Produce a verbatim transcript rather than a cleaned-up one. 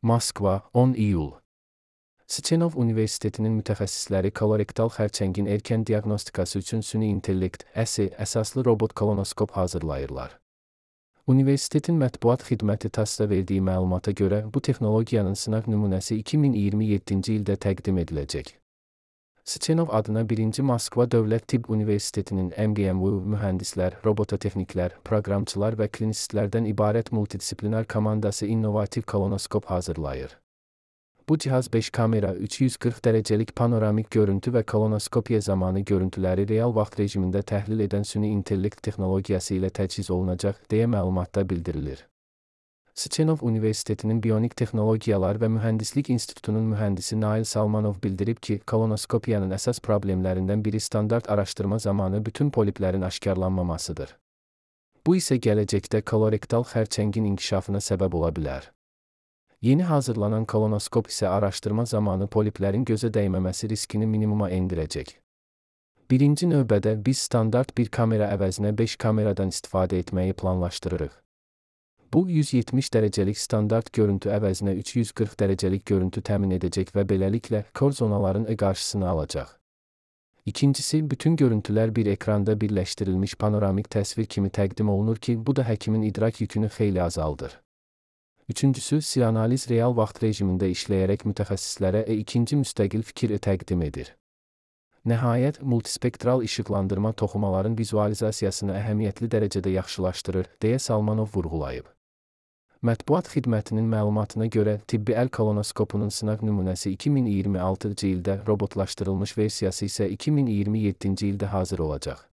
Moskva, on iyul. Schenov Universitetinin mütəxəssisləri kolorektal xərçəngin erkən diaqnostikası üçün süni intellekt (əs) əsaslı robot kolonoskop hazırlayırlar. Universitetin mətbuat xidməti TASS-a verdiyi məlumata görə, bu texnologiyanın sınaq nümunəsi iki min iyirmi yeddinci ildə təqdim ediləcək. Schenov adına birinci Moskva Dövlət Tibb Universitetinin M G M U mühəndislər, robototexniklər, proqramçılar və klinisistlərdən ibarət multidisiplinar komandası innovativ kolonoskop hazırlayır. Bu cihaz beş kamera, üç yüz qırx dərəcəlik panoramik görüntü və kolonoskopiya zamanı görüntüləri real vaxt rejimində təhlil edən süni intellekt texnologiyası ilə təchiz olunacaq, deyə məlumatda bildirilir. Schenov Universitetinin Bionik Texnologiyalar və Mühəndislik İnstitutunun mühəndisi Nail Salmanov bildirib ki, kolonoskopiyanın əsas problemlərindən biri standart araşdırma zamanı bütün poliplərin aşkarlanmamasıdır. Bu isə gələcəkdə kolorektal xərçəngin inkişafına səbəb ola bilər. Yeni hazırlanan kolonoskop isə araşdırma zamanı poliplərin gözə dəyməməsi riskini minimuma endirəcək. Birinci növbədə biz standart bir kamera əvəzinə beş kameradan istifadə etməyi planlaşdırırıq. Bu, yüz yetmiş dərəcəlik standart görüntü əvəzinə üç yüz qırx dərəcəlik görüntü təmin edəcək və beləliklə kor zonaların qarşısını alacaq. İkincisi, bütün görüntülər bir ekranda birləşdirilmiş panoramik təsvir kimi təqdim olunur ki, bu da həkimin idrak yükünü xeyli azaldır. Üçüncüsü, sianaliz real vaxt rejimində işləyərək mütəxəssislərə e ikinci müstəqil fikir təqdim edir. Nəhayət, multispektral işıqlandırma toxumaların vizualizasiyasını əhəmiyyətli dərəcədə yaxşılaşdırır, deyə Salmanov vurğulayıb. Mətbuat xidmətinin məlumatına görə, tibbi əl kolonoskopunun sınaq nümunəsi iki min iyirmi altıncı ildə, robotlaşdırılmış versiyası isə iki min iyirmi yeddinci ildə hazır olacaq.